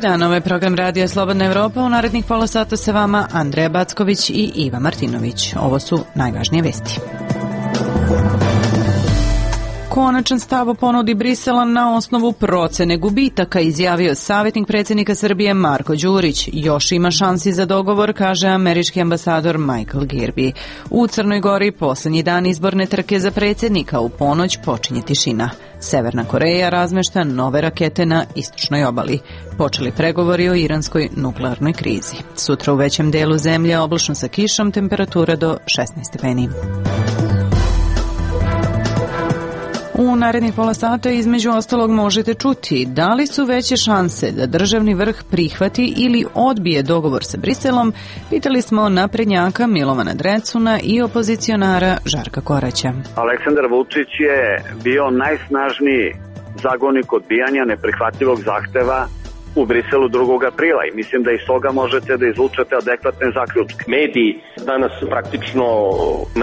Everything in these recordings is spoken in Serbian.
dan, ovo je program Radija Slobodna Evropa. U narednih pola sata sa vama Andreja Backović i Iva Martinović. Ovo su najvažnije vesti. Konačan stav o ponudi Brisela na osnovu procene gubitaka, izjavio savjetnik predsjednika Srbije Marko Đurić. Još ima šansi za dogovor, kaže američki ambasador Michael Kirby. U Crnoj Gori posljednji dan izborne trke za predsjednika, u ponoć počinje tišina. Severna Koreja razmešta nove rakete na istočnoj obali. Počeli pregovori o iranskoj nuklearnoj krizi. Sutra u većem delu zemlje oblačno sa kišom, temperatura do 16 stepeni. U narednih pola sata između ostalog možete čuti da li su veće šanse da državni vrh prihvati ili odbije dogovor sa Briselom, pitali smo naprednjaka Milovana Drecuna i opozicionara Žarka Koraća. Aleksandar Vučić je bio najsnažniji zagovornik odbijanja neprihvatljivog zahteva u Briselu 2. aprila i mislim da iz toga možete da izvučete adekvatne zaključke. Mediji danas praktično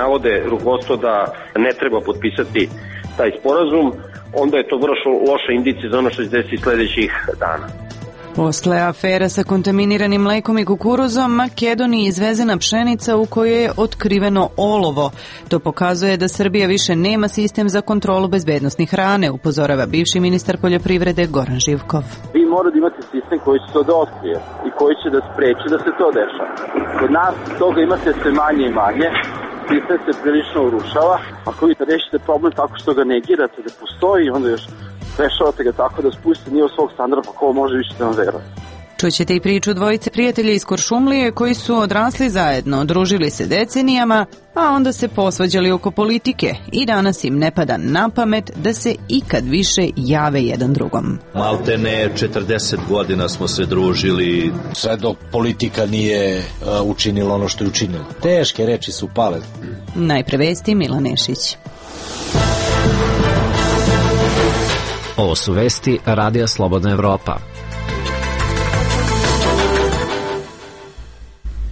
navode rukovodstvo da ne treba potpisati taj sporazum, onda je to vrlo loša indicija za ono što se desi sljedećih dana. Posle afera sa kontaminiranim mlekom i kukuruzom, Makedoniji izvezena pšenica u kojoj je otkriveno olovo. To pokazuje da Srbija više nema sistem za kontrolu bezbednosti hrane, upozorava bivši ministar poljoprivrede Goran Živkov. Vi morate imati sistem koji će to da otkrije i koji će da spreči da se to dešava. Kod nas toga imate sve manje i manje. Sistem se prilično urušava. Ako vi rešite problem tako što ga negirate da postoji, onda još rešavate ga tako da spustite nivo svog standarda, pa ko može više da vam veruje. Čućete i priču dvojice prijatelja iz Kuršumlije koji su odrasli zajedno, družili se decenijama, a onda se posvađali oko politike i danas im ne pada na pamet da se ikad više jave jedan drugom. Maltene 40 godina smo se družili. Sve dok politika nije učinila ono što je učinila. Teške reči su pale. Najpre vesti Milan Nešić. Ovo su vesti Radija Slobodna Evropa.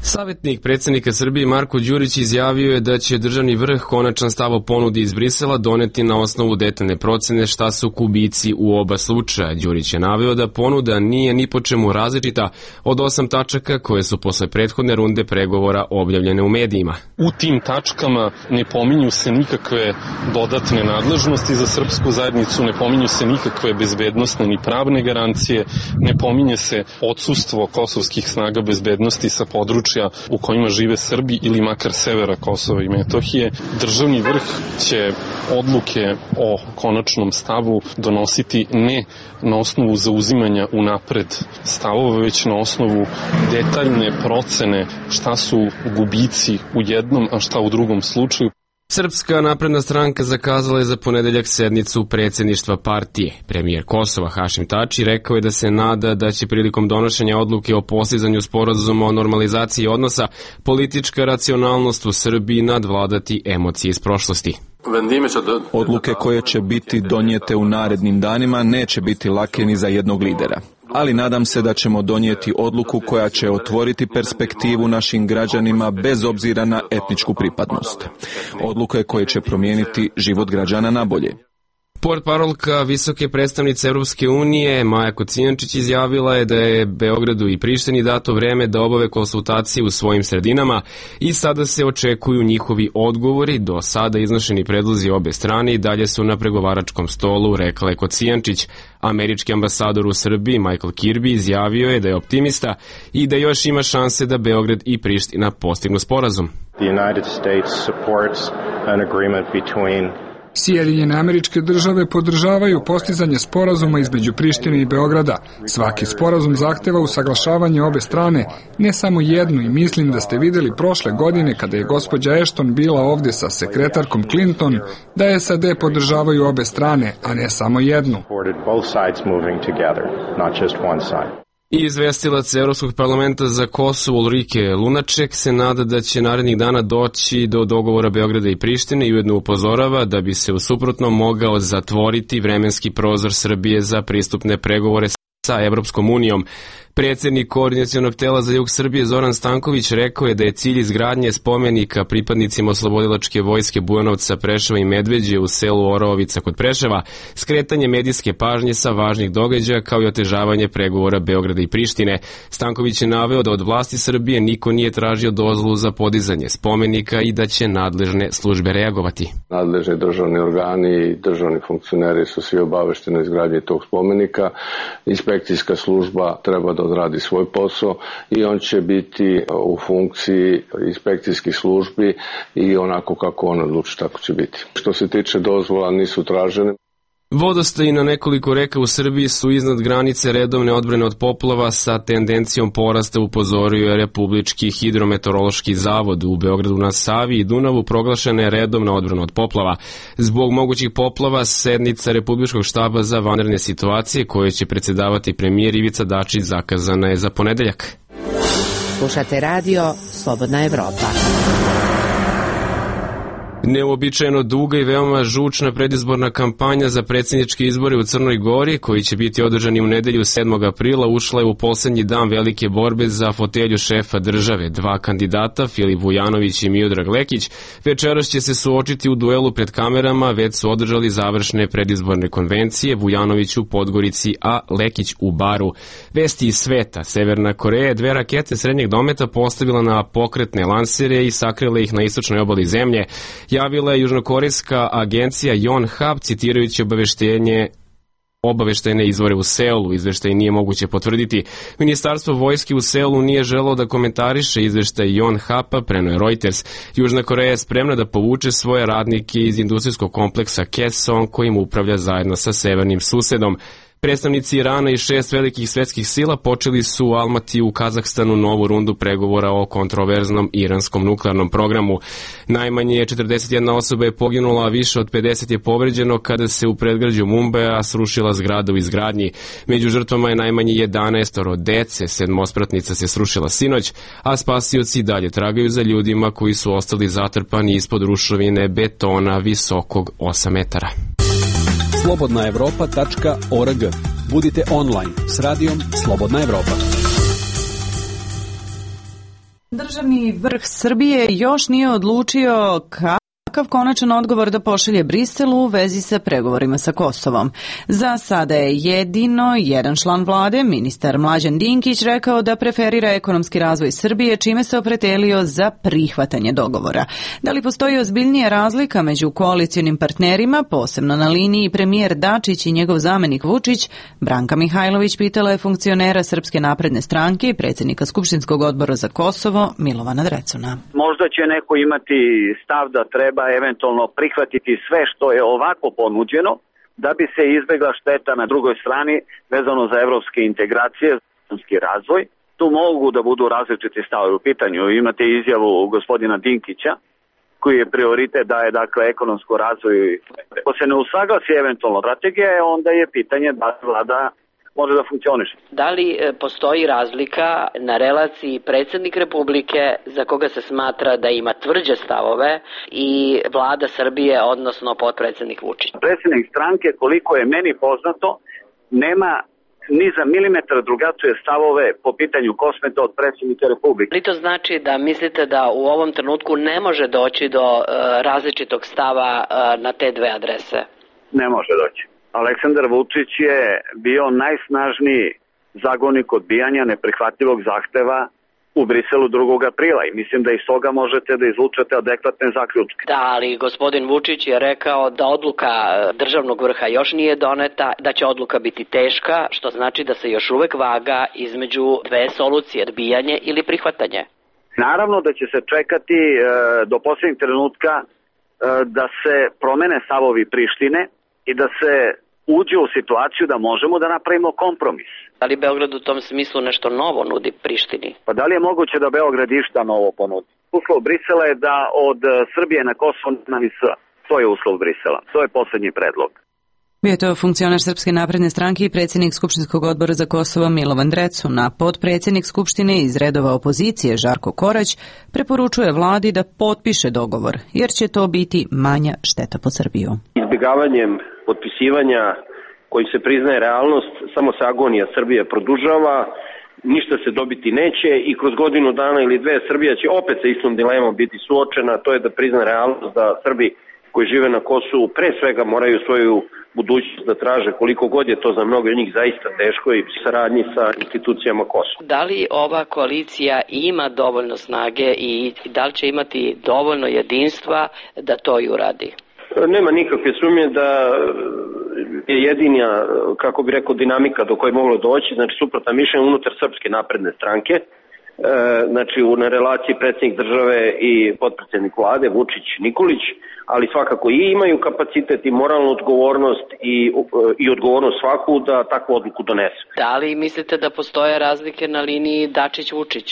Savjetnik predsjednika Srbije Marko Đurić izjavio je da će državni vrh konačan stav o ponudi iz Brisela doneti na osnovu detaljne procene šta su gubici u oba slučaja. Đurić je naveo da ponuda nije ni po čemu različita od 8 tačaka koje su posle prethodne runde pregovora objavljene u medijima. U tim tačkama ne pominju se nikakve dodatne nadležnosti za srpsku zajednicu, ne pominju se nikakve bezbednosne ni pravne garancije, ne pominje se odsustvo kosovskih snaga bezbednosti sa područja u kojima žive Srbi ili makar severa Kosova i Metohije. Državni vrh će odluke o konačnom stavu donositi ne na osnovu zauzimanja unapred stavova, već na osnovu detaljne procene šta su gubici u jednom, a šta u drugom slučaju. Srpska napredna stranka zakazala je za ponedeljak sednicu predsjedništva partije. Premijer Kosova Hašim Tači rekao je da se nada da će prilikom donošenja odluke o postizanju sporazuma o normalizaciji odnosa politička racionalnost u Srbiji nadvladati emocije iz prošlosti. Odluke koje će biti donijete u narednim danima neće biti lake ni za jednog lidera. Ali nadam se da ćemo donijeti odluku koja će otvoriti perspektivu našim građanima bez obzira na etničku pripadnost. Odluke koje će promijeniti život građana na bolje. Portparolka visoke predstavnice Europske unije Maja Kocijančić izjavila je da je Beogradu i Prištini dato vreme da obave konsultacije u svojim sredinama i sada se očekuju njihovi odgovori. Do sada iznošeni predlozi obe strane i dalje su na pregovaračkom stolu, rekla je Kocijančić. Američki ambasador u Srbiji Michael Kirby izjavio je da je optimista i da još ima šanse da Beograd i Priština postignu sporazum. Sjedinjene Američke Države podržavaju postizanje sporazuma između Prištine i Beograda. Svaki sporazum zahteva usaglašavanje obe strane, ne samo jednu, i mislim da ste vidjeli prošle godine kada je gospođa Ashton bila ovdje sa sekretarkom Clinton da SAD podržavaju obe strane, a ne samo jednu. I izvestilac Evropskog parlamenta za Kosovo Ulrike Lunaček se nada da će narednih dana doći do dogovora Beograda i Prištine i ujedno upozorava da bi se u suprotnom mogao zatvoriti vremenski prozor Srbije za pristupne pregovore sa Evropskom unijom. Predsednik Koordinacionog tela za jug Srbije Zoran Stanković rekao je da je cilj izgradnje spomenika pripadnicima Oslobodilačke vojske Bujanovca, Preševa i Medveđe u selu Oraovica kod Preševa, skretanje medijske pažnje sa važnih događaja kao i otežavanje pregovora Beograda i Prištine. Stanković je naveo da od vlasti Srbije niko nije tražio dozvolu za podizanje spomenika i da će nadležne službe reagovati. Nadležni državni organi i državni funkcioneri su svi obavešteni o izgradnji tog spomenika. Inspekcijska služba treba da odradi svoj posao i on će biti u funkciji inspekcijskih službi i onako kako on odluči tako će biti. Što se tiče dozvola nisu tražene. Vodostaji na nekoliko reka u Srbiji su iznad granice redovne odbrane od poplava sa tendencijom porasta, upozorio je Republički hidrometeorološki zavod. U Beogradu na Savi i Dunavu proglašena je redovna odbrana od poplava. Zbog mogućih poplava sednica Republičkog štaba za vanredne situacije koje će predsedavati premijer Ivica Dačić zakazana je za ponedeljak. Slušate radio Slobodna Evropa. Neuobičajeno duga i veoma žučna predizborna kampanja za predsjedničke izbore u Crnoj Gori, koji će biti održani u nedelju 7. aprila, ušla je u poslednji dan velike borbe za fotelju šefa države. Dva kandidata, Filip Vujanović i Miodrag Lekić, večeras će se suočiti u duelu pred kamerama, već su održali završne predizborne konvencije, Vujanović u Podgorici, a Lekić u Baru. Vesti iz sveta. Severna Koreja je 2 rakete srednjeg dometa postavila na pokretne lansere i sakrila ih na istočnoj obali zemlje, javila je južnokorejska agencija Yonhap, citirajući obaveštene izvore u Seulu. Izveštaj nije moguće potvrditi. Ministarstvo vojske u Seulu nije želelo da komentariše izveštaj Yonhapa, preneo je Reuters. Južna Koreja je spremna da povuče svoje radnike iz industrijskog kompleksa Kaesong, kojim upravlja zajedno sa severnim susedom. Predstavnici Irana i 6 velikih svetskih sila počeli su u Almati u Kazahstanu novu rundu pregovora o kontroverznom iranskom nuklearnom programu. Najmanje 41 osoba je poginula, a više od 50 je povređeno kada se u predgrađu Mumbaja srušila zgrada u izgradnji. Među žrtvama je najmanje 11 dece, 7-spratnica se srušila sinoć, a spasioci dalje tragaju za ljudima koji su ostali zatrpani ispod ruševine betona visokog 8 metara. slobodnaevropa.org. Budite online s radijom Slobodna Evropa. Državni vrh Srbije još nije odlučio kakav konačan odgovor da pošalje Briselu u vezi sa pregovorima sa Kosovom. Za sada je jedino jedan član vlade, ministar Mlađan Dinkić, rekao da preferira ekonomski razvoj Srbije, čime se opredelio za prihvatanje dogovora. Da li postoji ozbiljnija razlika među koalicionim partnerima, posebno na liniji premijer Dačić i njegov zamenik Vučić, Branka Mihajlović pitala je funkcionera Srpske napredne stranke i predsjednika Skupštinskog odbora za Kosovo Milovana Drecuna. Možda će neko imati stav da treba eventualno prihvatiti sve što je ovako ponuđeno da bi se izbegla šteta na drugoj strani vezano za evropske integracije, ekonomski razvoj. Tu mogu da budu različiti stavovi u pitanju. Imate izjavu gospodina Dinkića koji je prioritet daje dakle ekonomsko razvoj. Ako se ne usaglasi eventualno strategija, onda je pitanje da vlada može da funkcioniše. Da li postoji razlika na relaciji predsjednik Republike, za koga se smatra da ima tvrđe stavove, i vlada Srbije, odnosno potpredsjednik Vučić? Predsjednik stranke, koliko je meni poznato, nema ni za milimetar drugačije stavove po pitanju Kosmeta od predsjednika Republike. Ali to znači da mislite da u ovom trenutku ne može doći do različitog stava na te dve adrese? Ne može doći. Aleksandar Vučić je bio najsnažniji zagonik odbijanja neprihvatljivog zahteva u Briselu 2. aprila i mislim da iz toga možete da izvučete adekvatne zaključke. Da, ali gospodin Vučić je rekao da odluka državnog vrha još nije doneta, da će odluka biti teška, što znači da se još uvek vaga između dve solucije, odbijanje ili prihvatanje. Naravno da će se čekati do posljednjeg trenutka da se promene stavovi Prištine i da se uđe u situaciju da možemo da napravimo kompromis. Da li Beograd u tom smislu nešto novo nudi Prištini? Pa da li je moguće da Beograd išta novo ponudi? Uslov Brisela je da od Srbije na Kosovo nema ni S. To je uslov Brisela. To je poslednji predlog. Bio je to funkcionar Srpske napredne stranke i predsjednik Skupštinskog odbora za Kosovo Milovan Drecuna. Potpredsjednik Skupštine iz redova opozicije Žarko Korać preporučuje vladi da potpiše dogovor, jer će to biti manja šteta po Srbiju. Izbjegavanjem potpisivanja koji se priznaje realnost, samo se agonija Srbije produžava ništa se dobiti neće i kroz godinu dana ili dve Srbija će opet sa istom dilemom biti suočena, to je da prizna realnost da Srbi koji žive na Kosovu pre svega moraju svoju budućnost da traže, koliko god je to za mnogo od njih zaista teško i saradnji sa institucijama Kosova. Da li ova koalicija ima dovoljno snage i da li će imati dovoljno jedinstva da to i uradi? Nema nikakve sumnje da je jedina, kako bi rekao, dinamika do koje je moglo doći, znači suprotna mišljenja unutar Srpske napredne stranke, znači na relaciji predsjednik države i potpredsjednik vlade Vučić-Nikolić, ali svakako i imaju kapacitet i moralnu odgovornost i odgovornost svaku da takvu odluku donesu. Da li mislite da postoje razlike na liniji Dačić-Vučić?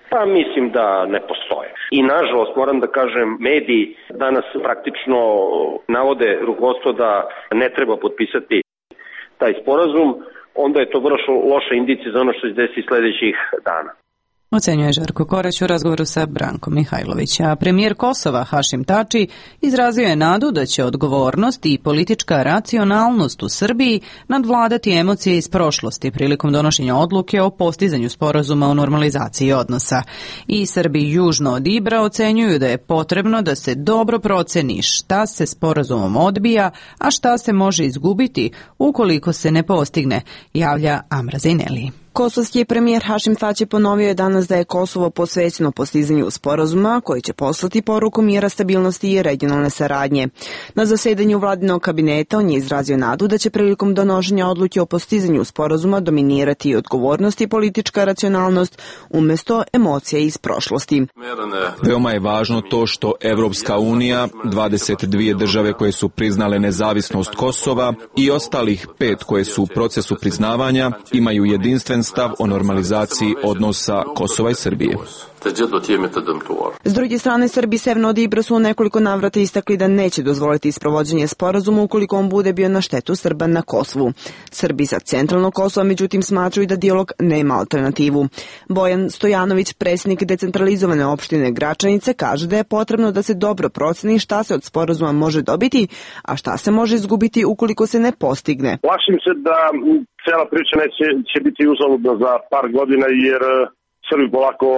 Pa mislim da ne postoje. I nažalost moram da kažem, mediji danas praktično navode rukovodstvo da ne treba potpisati taj sporazum, onda je to vrlo loša indicija za ono što se desi sledećih dana. Ocenjuje Žarko Korać u razgovoru sa Brankom Mihajlović. A premijer Kosova Hašim Tači izrazio je nadu da će odgovornost i politička racionalnost u Srbiji nadvladati emocije iz prošlosti prilikom donošenja odluke o postizanju sporazuma o normalizaciji odnosa. I Srbi južno od Ibra ocenjuju da je potrebno da se dobro proceni šta se sporazumom odbija, a šta se može izgubiti ukoliko se ne postigne, javlja Amra Zejneli. Kosovski premijer Hašim Tači ponovio je danas da je Kosovo posvećeno postizanju sporazuma koji će poslati poruku mira, stabilnosti i regionalne saradnje. Na zasedanju vladinog kabineta on je izrazio nadu da će prilikom donošenja odluke o postizanju sporazuma dominirati i odgovornost i politička racionalnost umjesto emocija iz prošlosti. Veoma je važno to što Evropska unija, 22 države koje su priznale nezavisnost Kosova i ostalih 5 koje su u procesu priznavanja imaju jedinstven stav o normalizaciji odnosa Kosova i Srbije. S druge strane, Srbi severno od Ibra su u nekoliko navrata istakli da neće dozvoliti isprovođenje sporazuma ukoliko on bude bio na štetu Srba na Kosovu. Srbi sa centralnog Kosova međutim smatraju da dijalog nema alternativu. Bojan Stojanović, predsjednik decentralizovane opštine Gračanice, kaže da je potrebno da se dobro proceni šta se od sporazuma može dobiti, a šta se može izgubiti ukoliko se ne postigne. Plašim se da cela priča će biti uzaludna za par godina jer Srbi polako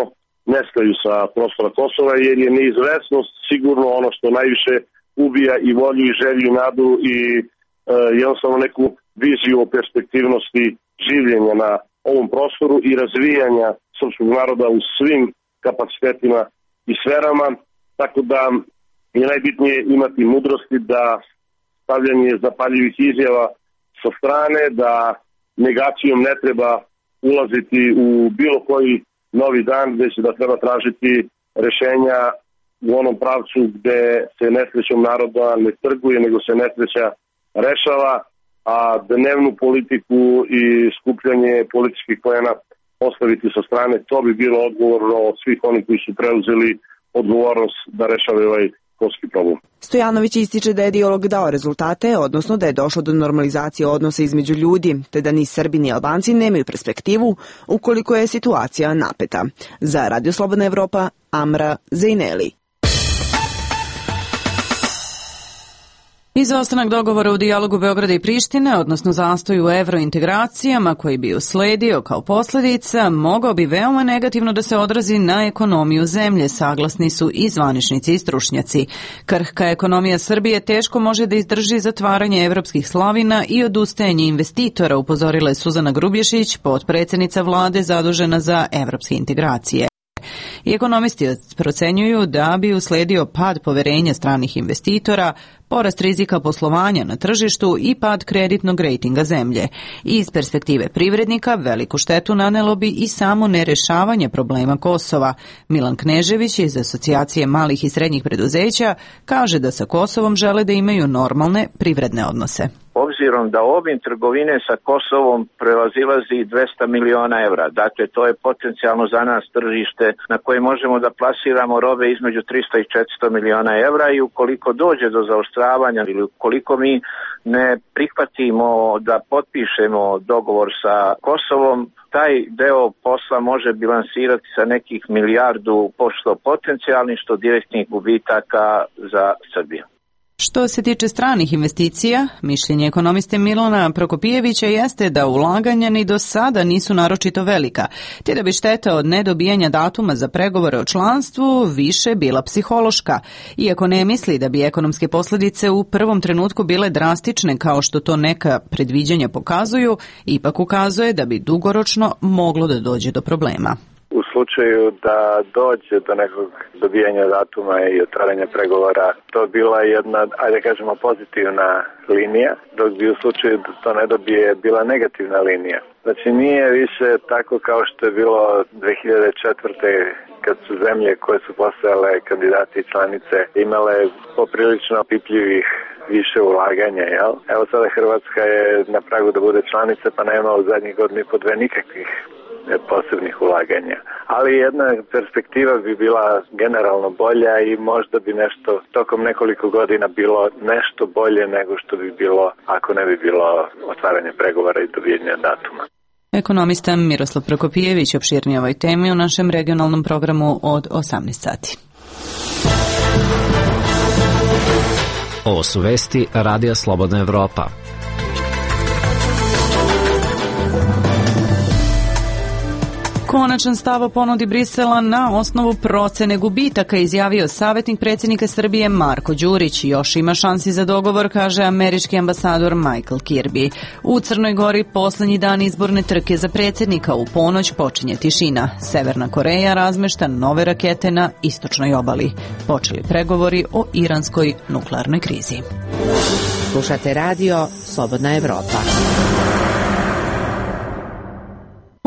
nestaju sa prostora Kosova jer je neizvesnost sigurno ono što najviše ubija i volju i želju i nadu i jednostavno neku viziju o perspektivnosti življenja na ovom prostoru i razvijanja srpskog naroda u svim kapacitetima i sferama, tako da je najbitnije imati mudrosti da stavljanje zapaljivih izjava sa strane, da negacijom ne treba ulaziti u bilo koji novi dan, već da treba tražiti rešenja u onom pravcu gde se nesrećom naroda ne trguje, nego se nesreća rešava, a dnevnu politiku i skupljanje političkih poena ostaviti sa strane, to bi bilo odgovorno od svih onih koji su preuzeli odgovornost da rešavaju ovaj kosovski problem. Stojanović ističe da je dijalog dao rezultate, odnosno da je došlo do normalizacije odnosa između ljudi, te da ni Srbi ni Albanci nemaju perspektivu ukoliko je situacija napeta. Za Radio Slobodna Evropa, Amra Zejneli. Izostanak dogovora u dijalogu Beograda i Prištine, odnosno zastoj u evrointegracijama koji bi usledio kao posljedica, mogao bi veoma negativno da se odrazi na ekonomiju zemlje, saglasni su i zvaničnici i stručnjaci. Krhka ekonomija Srbije teško može da izdrži zatvaranje evropskih slavina i odustajanje investitora, upozorila je Suzana Grubješić, potpredsjednica vlade zadužena za evropske integracije. I ekonomisti procenjuju da bi usledio pad poverenja stranih investitora, porast rizika poslovanja na tržištu i pad kreditnog rejtinga zemlje. Iz perspektive privrednika veliku štetu nanelo bi i samo nerešavanje problema Kosova. Milan Knežević iz Asocijacije malih i srednjih preduzeća kaže da sa Kosovom žele da imaju normalne privredne odnose. Obzirom da obim trgovine sa Kosovom prevazilazi 200 miliona evra, dakle to je potencijalno za nas tržište na koje možemo da plasiramo robe između 300 i 400 miliona evra i ukoliko dođe do zaostravanja ili ukoliko mi ne prihvatimo da potpišemo dogovor sa Kosovom, taj deo posla može bilansirati sa nekih milijardu što potencijalnih, što direktnih gubitaka za Srbiju. Što se tiče stranih investicija, mišljenje ekonomiste Milana Prokopijevića jeste da ulaganja ni do sada nisu naročito velika, te da bi šteta od nedobijanja datuma za pregovore o članstvu više bila psihološka, iako ne misli da bi ekonomske posljedice u prvom trenutku bile drastične kao što to neka predviđanja pokazuju, ipak ukazuje da bi dugoročno moglo da dođe do problema. U slučaju da dođe do nekog dobijanja datuma i otvaranja pregovora, to bila jedna, ajde kažemo, pozitivna linija, dok bi u slučaju da to ne dobije bila negativna linija. Znači nije više tako kao što je bilo 2004. kad su zemlje koje su postajale kandidati i članice imale poprilično opipljivih više ulaganja, jel? Evo sada Hrvatska je na pragu da bude članica, pa nema u zadnjih godina i po dve nikakvih posebnih ulaganja. Ali jedna perspektiva bi bila generalno bolja i možda bi nešto tokom nekoliko godina bilo nešto bolje nego što bi bilo ako ne bi bilo otvaranje pregovora i dobijanja datuma. Ekonomista Miroslav Prokopijević opširnije ovoj temi u našem regionalnom programu od 18 sati. Ovo su vesti Radija Slobodna Evropa. Konačan stav o ponudi Brisela na osnovu procene gubitaka izjavio savjetnik predsjednika Srbije Marko Đurić. Još ima šansi za dogovor, kaže američki ambasador Michael Kirby. U Crnoj Gori poslednji dan izborne trke za predsjednika, u ponoć počinje tišina. Severna Koreja razmešta nove rakete na istočnoj obali. Počeli pregovori o iranskoj nuklearnoj krizi. Slušate radio Slobodna Evropa.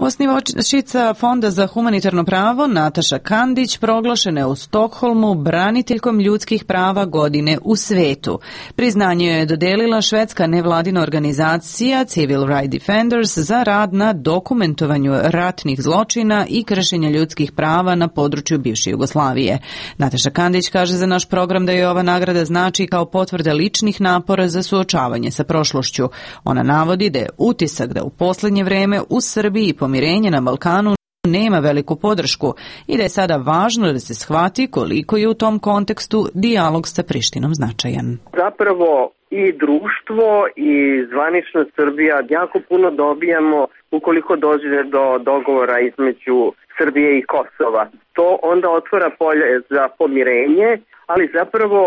Osnivačica Fonda za humanitarno pravo Nataša Kandić proglašena je u Stokholmu braniteljkom ljudskih prava godine u svetu. Priznanje je dodelila švedska nevladina organizacija Civil Rights Defenders za rad na dokumentovanju ratnih zločina i kršenja ljudskih prava na području bivše Jugoslavije. Nataša Kandić kaže za naš program da je ova nagrada znači kao potvrda ličnih napora za suočavanje sa prošlošću. Ona navodi da je utisak da u posljednje vreme u Srbiji pomirenje na Balkanu nema veliku podršku i da je sada važno da se shvati koliko je u tom kontekstu dijalog sa Prištinom značajan. Zapravo i društvo i zvanična Srbija jako puno dobijamo ukoliko dođe do dogovora između Srbije i Kosova. To onda otvara polje za pomirenje, ali zapravo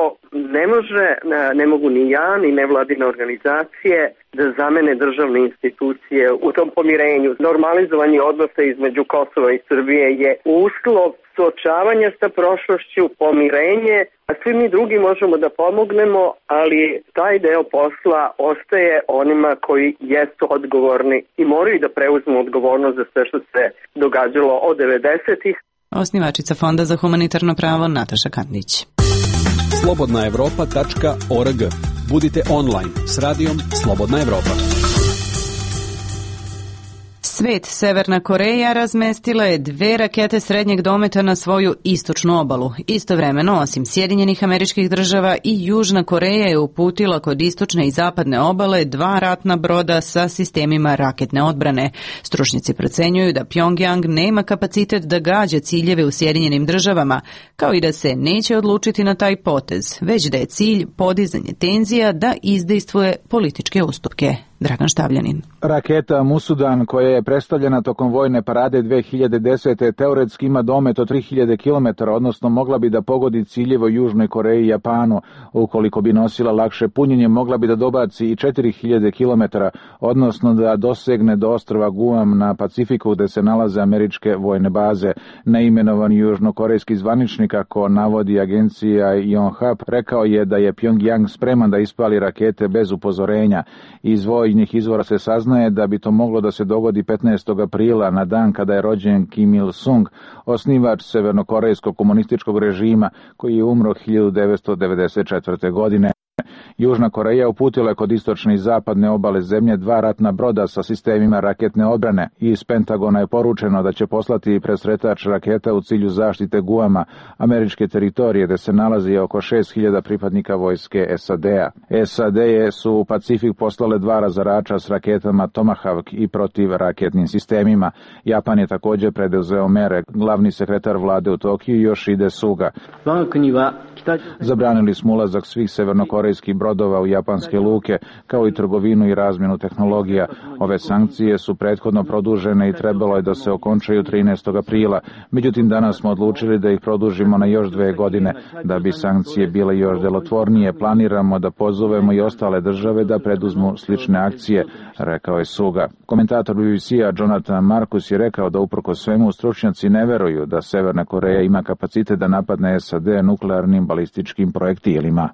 ne mogu ni ja, ni nevladine organizacije da zamene državne institucije u tom pomirenju. Normalizovanje odnosa između Kosova i Srbije je uslov suočavanja sa prošlošću, pomirenje, a svi mi drugi možemo da pomognemo, ali taj deo posla ostaje onima koji jesu odgovorni i moraju da preuzmu odgovornost za sve što se događalo od 90-ih. Osnivačica Fonda za humanitarno pravo Nataša Kandić. slobodnaevropa.org. Budite online s radijom Slobodna Evropa. Svet, Severna Koreja razmestila je 2 rakete srednjeg dometa na svoju istočnu obalu. Istovremeno, osim Sjedinjenih Američkih Država, i Južna Koreja je uputila kod istočne i zapadne obale 2 ratna broda sa sistemima raketne odbrane. Stručnjaci procenjuju da Pjongjang nema kapacitet da gađa ciljeve u Sjedinjenim Državama, kao i da se neće odlučiti na taj potez, već da je cilj podizanje tenzija da izdejstvuje političke ustupke. Dragan Štavljanin. Raketa Musudan, koja je predstavljena tokom vojne parade 2010. teoretski ima domet od 3000 km, odnosno mogla bi da pogodi ciljeve u Južnoj Koreji i Japanu. Ukoliko bi nosila lakše punjenje, mogla bi da dobaci i 4000 km, odnosno da dosegne do ostrva Guam na Pacifiku gde se nalaze američke vojne baze. Neimenovani južnokorejski zvaničnik, kako navodi agencija Yonhap, rekao je da je Pjongjang spreman da ispali rakete bez upozorenja. Iz vojnih izvora se saznaje da bi to moglo da se dogodi 15. aprila, na dan kada je rođen Kim Il-sung, osnivač severnokorejskog komunističkog režima koji je umro 1994. godine. Južna Koreja uputila je kod istočne i zapadne obale zemlje 2 ratna broda sa sistemima raketne odbrane. Iz Pentagona je poručeno da će poslati presretač raketa u cilju zaštite Guama, američke teritorije, gde se nalazi oko 6000 pripadnika vojske SAD-a. SAD su u Pacifik poslale 2 razarača s raketama Tomahawk i protivraketnim sistemima. Japan je također preduzeo mere. Glavni sekretar vlade u Tokiju Yoshide Suga. Zabranili smo ulazak svih severnokorejskih samurajskih brodova u japanske luke, kao i trgovinu i razmjenu tehnologija. Ove sankcije su prethodno produžene i trebalo je da se okončaju 13. aprila. Međutim, danas smo odlučili da ih produžimo na još 2 godine. Da bi sankcije bile još delotvornije, planiramo da pozovemo i ostale države da preduzmu slične akcije, rekao je Suga. Komentator BBC-a Jonathan Marcus je rekao da uprkos svemu stručnjaci ne veruju da Severna Koreja ima kapacitet da napadne SAD nuklearnim balističkim projektilima.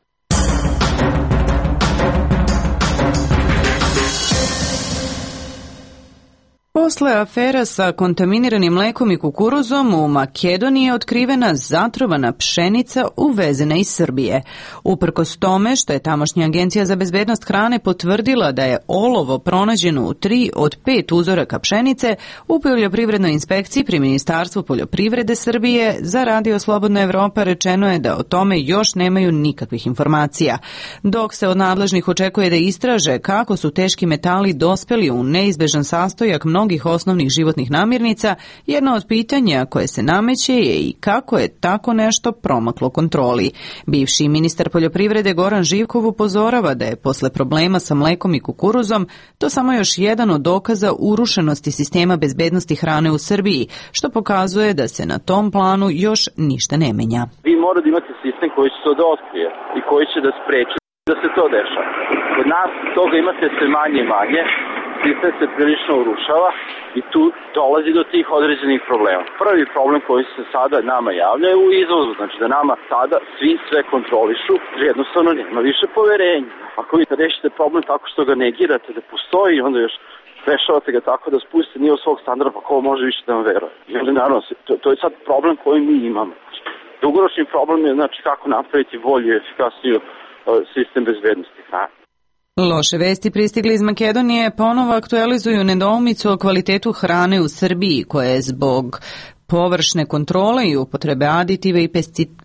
Posle afera sa kontaminiranim mlekom i kukuruzom u Makedoniji je otkrivena zatrovana pšenica uvezena iz Srbije. Uprkos tome što je tamošnja agencija za bezbednost hrane potvrdila da je olovo pronađeno u 3 od 5 uzoraka pšenice, u poljoprivrednoj inspekciji pri Ministarstvu poljoprivrede Srbije za Radio Slobodna Evropa rečeno je da o tome još nemaju nikakvih informacija. Dok se od nadležnih očekuje da istraže kako su teški metali dospeli u neizbežan sastojak mnogih osnovnih životnih namirnica, jedno od pitanja koje se nameće je i kako je tako nešto promaklo kontroli. Bivši ministar poljoprivrede Goran Živkov upozorava da je posle problema sa mlekom i kukuruzom to samo još jedan od dokaza urušenosti sistema bezbednosti hrane u Srbiji, što pokazuje da se na tom planu još ništa ne menja. Vi morate imati sistem koji će to da otkrije i koji će da spreči da se to dešava. Kod nas toga imate sve manje i manje, sistem se prilično urušava i tu dolazi do tih određenih problema. Prvi problem koji se sada nama javlja je u izvozu, znači da nama sada svi sve kontrolišu, jednostavno nema više poverenja. Ako vi rešite problem tako što ga negirate da postoji, onda još rešavate ga tako da spustite nivo svog standarda, pa ko može više da vam veruje. I onda naravno, to je sad problem koji mi imamo. Dugoročni problem je znači kako napraviti bolji i efikasniji sistem bezbednosti hrane. Loše vesti pristigli iz Makedonije ponovo aktualizuju nedoumicu o kvalitetu hrane u Srbiji, koja je zbog površne kontrole i upotrebe aditiva i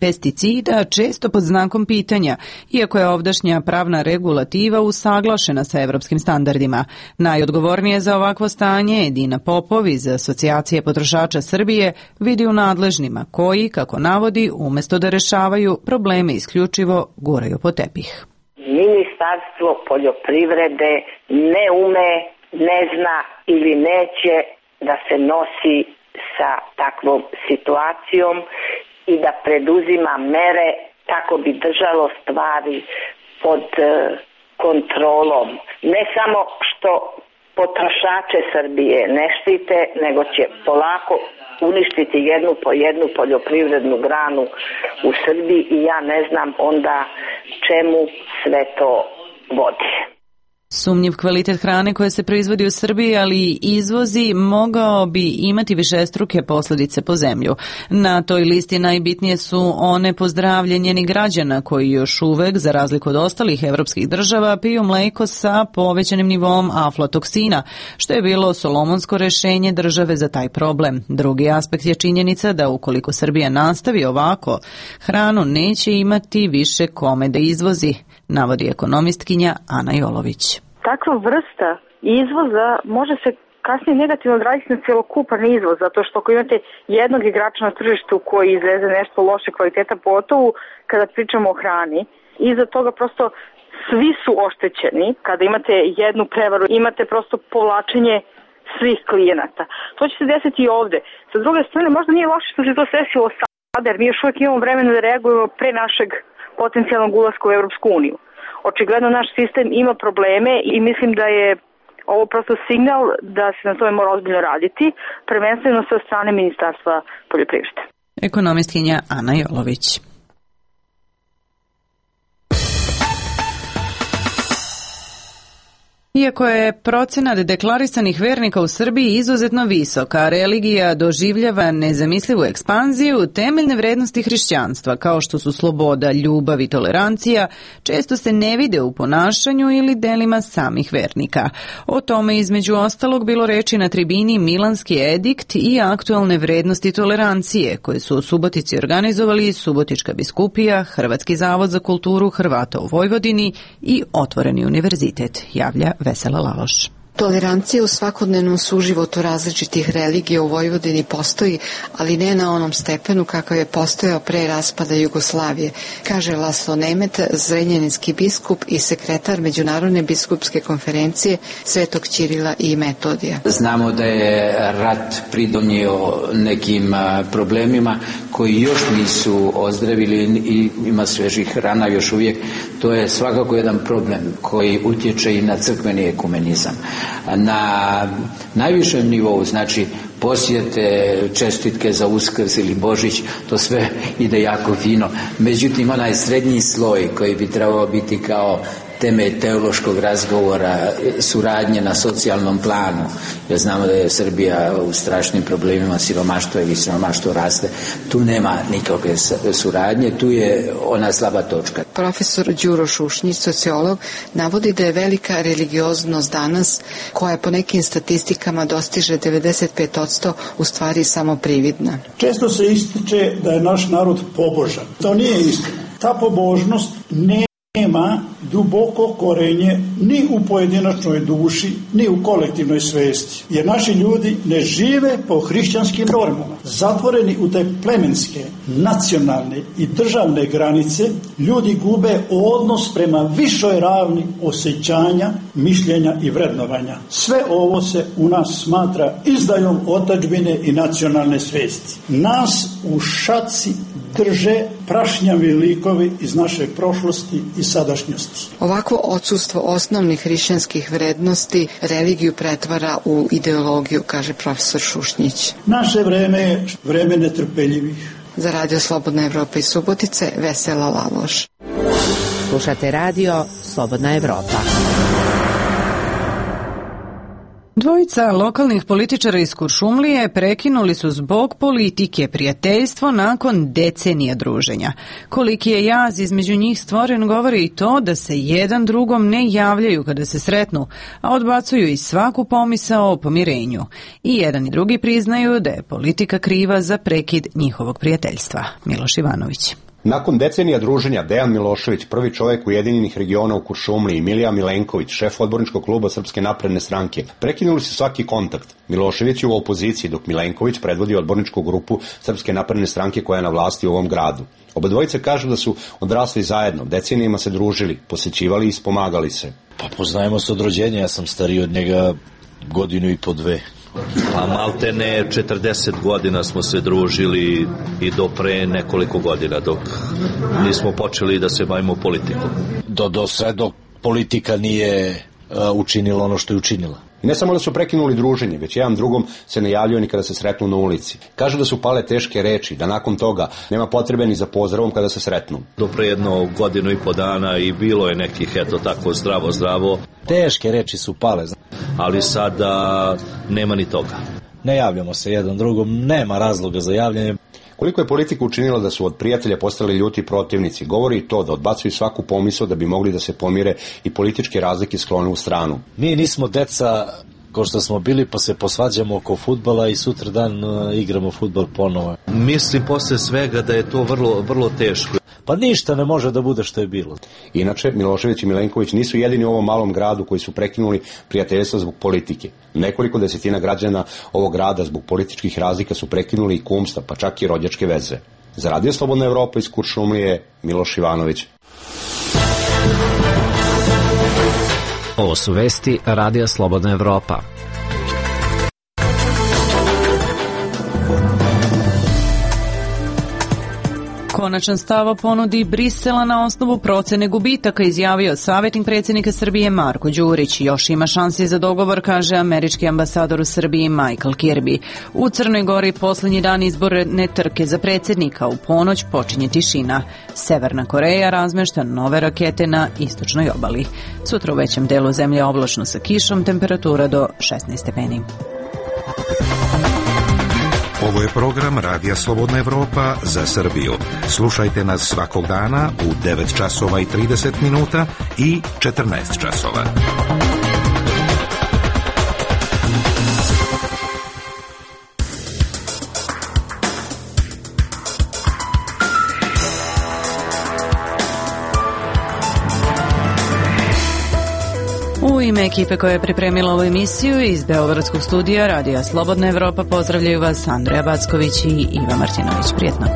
pesticida često pod znakom pitanja, iako je ovdašnja pravna regulativa usaglašena sa evropskim standardima. Najodgovornije za ovakvo stanje Edina Popov iz Asocijacije potrošača Srbije vidi u nadležnima koji, kako navodi, umesto da rešavaju probleme isključivo guraju po tepih. Ministarstvo poljoprivrede ne ume, ne zna ili neće da se nosi sa takvom situacijom i da preduzima mere kako bi držalo stvari pod kontrolom. Ne samo što potrošače Srbije ne štite, nego će polako uništiti jednu po jednu poljoprivrednu granu u Srbiji i ja ne znam onda čemu sve to vodi. Sumnjiv kvalitet hrane koja se proizvodi u Srbiji, ali i izvozi, mogao bi imati višestruke posljedice po zemlju. Na toj listi najbitnije su one po zdravlje njenih građana koji još uvek, za razliku od ostalih evropskih država, piju mleko sa povećanim nivom aflatoksina, što je bilo solomonsko rešenje države za taj problem. Drugi aspekt je činjenica da ukoliko Srbija nastavi ovako, hranu neće imati više kome da izvozi, navodi ekonomistkinja Ana Jolović. Takva vrsta izvoza može se kasnije negativno odraziti na celokupan izvoz, zato što ako imate jednog igrača na tržištu koji izveze nešto loše kvaliteta, pogotovo kada pričamo o hrani, iza toga prosto svi su oštećeni. Kada imate jednu prevaru, imate prosto povlačenje svih klijenata. To će se desiti i ovde. Sa druge strane, možda nije loše što se to desilo sada, jer mi još uvijek imamo vremena da reagujemo pre našeg potencijalnog ulaska u Evropsku uniju. Očigledno naš sistem ima probleme i mislim da je ovo prosto signal da se na tome mora ozbiljno raditi, prvenstveno sa strane Ministarstva poljoprivrede. Ekonomistkinja Ana Jolović. Iako je procenat deklarisanih vernika u Srbiji izuzetno visok, a religija doživljava nezamislivu ekspanziju, temeljne vrednosti hrišćanstva, kao što su sloboda, ljubav i tolerancija, često se ne vide u ponašanju ili delima samih vernika. O tome između ostalog bilo reči na tribini Milanski edikt i aktualne vrednosti tolerancije, koje su u Subotici organizovali Subotička biskupija, Hrvatski zavod za kulturu Hrvata u Vojvodini i Otvoreni univerzitet, javlja Vesela Laloš. Tolerancija u svakodnevnom suživotu različitih religija u Vojvodini postoji, ali ne na onom stepenu kakav je postojao pre raspada Jugoslavije, kaže Laslo Nemet, zrenjaninski biskup i sekretar Međunarodne biskupske konferencije Svetog Ćirila i Metodija. Znamo da je rat pridonio nekim problemima koji još nisu ozdravili i ima svežih rana još uvijek. To je svakako jedan problem koji utječe i na crkveni ekumenizam. Na najvišem nivou, znači posjete, čestitke za Uskrs ili Božić, to sve ide jako fino. Međutim, onaj srednji sloj koji bi trebao biti kao temelj teološkog razgovora, suradnje na socijalnom planu, jer znamo da je Srbija u strašnim problemima siromaštva ili siromaštvo raste. Tu nema nikakve suradnje, tu je ona slaba točka. Profesor Đuro Šušnjić, sociolog, navodi da je velika religioznost danas, koja po nekim statistikama dostiže 95%, u stvari samo prividna. Često se ističe da je naš narod pobožan. To nije istina. Ta pobožnost nema duboko korenje ni u pojedinačnoj duši, ni u kolektivnoj svesti. Jer naši ljudi ne žive po hrišćanskim normama. Zatvoreni u te plemenske, nacionalne i državne granice, ljudi gube odnos prema višoj ravni osjećanja, mišljenja i vrednovanja. Sve ovo se u nas smatra izdajom otadžbine i nacionalne svesti. Nas u šaci drže prašnjavi likovi iz naše prošlosti i sadašnjosti. Ovakvo odsustvo osnovnih hrišćanskih vrednosti religiju pretvara u ideologiju, kaže profesor Šušnjić. Naše vreme je vreme netrpeljivih. Za Radio Slobodna Evropa iz Subotice, Vesela Laloš. Slušate radio Slobodna Evropa. Dvojica lokalnih političara iz Kuršumlije prekinuli su zbog politike prijateljstvo nakon decenija druženja. Koliki je jaz između njih stvoren govori i to da se jedan drugom ne javljaju kada se sretnu, a odbacuju i svaku pomisao o pomirenju. I jedan i drugi priznaju da je politika kriva za prekid njihovog prijateljstva. Miloš Ivanović. Nakon decenija druženja, Dejan Milošević, prvi čovjek Ujedinjenih regiona u Kuršumliji, i Milija Milenković, šef odborničkog kluba Srpske napredne stranke, prekinuli su svaki kontakt. Milošević je u opoziciji, dok Milenković predvodi odborničku grupu Srpske napredne stranke koja je na vlasti u ovom gradu. Oba dvojice kažu da su odrasli zajedno, decenijima se družili, posjećivali i ispomagali se. Pa poznajemo se od rođenja, ja sam stariji od njega godinu i po dve. Pa maltene 40 godina smo se družili i do pre nekoliko godina dok nismo počeli da se bavimo politikom. Sve dok politika nije učinila ono što je učinila. I ne samo da su prekinuli druženje, već jedan drugom se ne javljaju ni kada se sretnu na ulici. Kažu da su pale teške reči, da nakon toga nema potrebe ni za pozdravom kada se sretnu. Do pre jedno godinu i po dana i bilo je nekih, eto tako, zdravo. Teške reči su pale, ali sada nema ni toga. Ne javljamo se jedan drugom, nema razloga za javljanje. Koliko je politika učinila da su od prijatelja postali ljuti protivnici, govori i to da odbacuju svaku pomisao da bi mogli da se pomire i političke razlike sklone u stranu. Mi nismo deca ko što smo bili, pa se posvađamo oko fudbala i sutra dan igramo fudbal ponovo. Mislim posle svega da je to vrlo teško. Pa ništa ne može da bude što je bilo. Inače, Milošević i Milenković nisu jedini u ovom malom gradu koji su prekinuli prijateljstvo zbog politike. Nekoliko desetina građana ovog grada zbog političkih razlika su prekinuli i kumstva, pa čak i rođačke veze. Za Radio Slobodna Evropa iz Kuršumlije, Miloš Ivanović. Ovo su vesti Radija Slobodna Evropa. Konačan stav o ponudi Brisela na osnovu procene gubitaka izjavio savjetnik predsjednika Srbije Marko Đurić. Još ima šansi za dogovor, kaže američki ambasador u Srbiji Michael Kirby. U Crnoj Gori posljednji dan izborne trke za predsjednika. U ponoć počinje tišina. Severna Koreja razmešta nove rakete na istočnoj obali. Sutra u većem delu zemlje oblačno sa kišom, temperatura do 16 stepeni. Ovo je program Radija Slobodna Evropa za Srbiju. Slušajte nas svakog dana u 9 časova i 30 minuta i 14 časova. U ime ime ekipe koja je pripremila ovu emisiju iz Beogradskog studija Radija Slobodna Evropa pozdravljaju vas Andreja Backović i Iva Martinović. Prijetno.